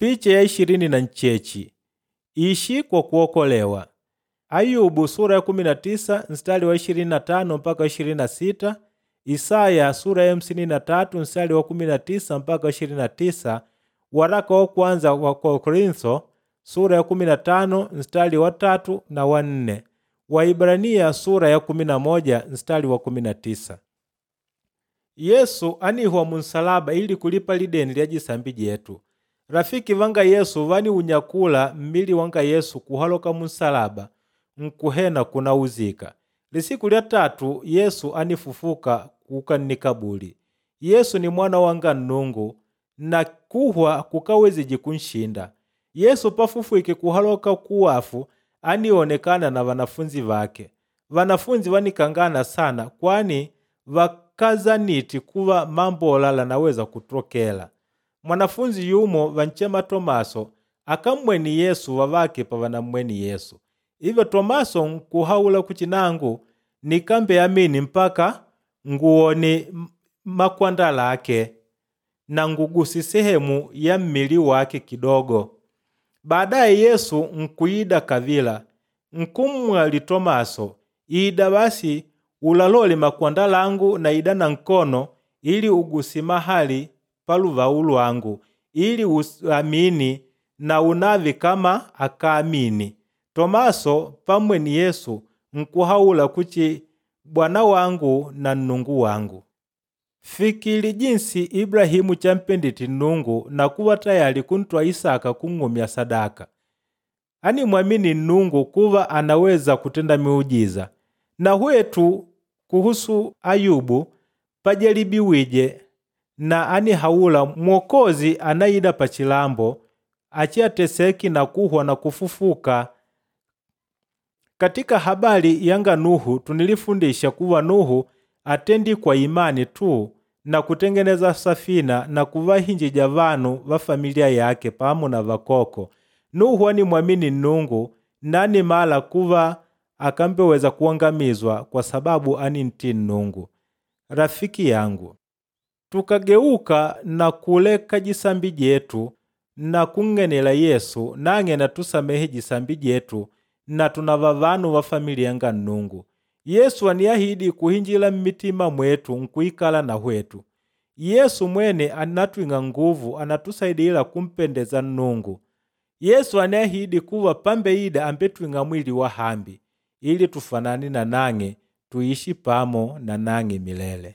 Picha ya 28 ishi kwa kuokolewa. Ayubu sura ya 19 mstari wa 25 mpaka 26, Isaya sura ya 53 mstari wa 19 mpaka 29, waraka wa kwanza wa Korintho sura ya 15 mstari wa 3 na wa 4, Waibrania sura ya 11 mstari wa 19. Yesu anihwa munsalaba ili kulipa lideni lya jisambi jetu. Rafiki vanga Yesu vaniunyakula mmili wanga Yesu kuhaloka munsalaba nkuhena kunauzika. Lisiku lya tatu Yesu anifufuka kuuka nnikabuli. Yesu ni mwana wanga Nnungu na kuhwa kukawezije kunshinda. Yesu pafufwike kuhaloka kuwafu anionekana na vanafunzi vake. Vanafunzi vanikangana sana kwani vakazaniti kuva mambo olala naweza kutokela. Mwanafunzi yumo vanchema Tomaso akammweni Yesu vavake pavanamweni Yesu. Ivyo Tomaso nkuhaula kuchinangu nikambe amini mpaka nguone makwandala ake na ngugusi sehemu ya mmili wake kidogo. Baadaye Yesu nkuida kavila nkummwali Tomaso, ida basi ulalole makwanda langu na ida na nkono ili ugusi mahali paluvau lwangu ili uamini na unavi kama akaamini. Tomaso pamweni Yesu nkuhaula kuchi Bwana wangu na Nnungu wangu. Fikili jinsi Ibrahimu champenditi Nnungu na kuwa tayali kuntwa Isaka kung'umya sadaka. Animwamini Nnungu kuva anaweza kutenda miujiza. Na hwetu kuhusu Ayubu pajalibiwije na anihaula Mwokozi anaida pachilambo achiateseki na kuhwa na kufufuka. Katika habari yanga Nuhu tunilifundisha kuwa Nuhu atendi kwa imani tu na kutengeneza safina na kuvahinjija vanu va familia yake pamo na vakoko. Nuhu animwamini Nnungu nani mala kuva akambeweza kuangamizwa kwa sababu anintii Nnungu. Rafiki yangu, tukageuka na kuleka jisambi jetu na kung'enela Yesu nang'e natusamehe jisambi jetu na tunava vanu va familia nga Nnungu. Yesu aniahidi kuhinjila mmitima mwetu nkuikala na hwetu. Yesu mwene anatwing'a nguvu anatusaidila kumpendeza Nnungu. Yesu aniahidi kuva pambeida ambetwing'a mwili wa hambi ili tufanane na nang'e tuishi pamo na nang'e milele.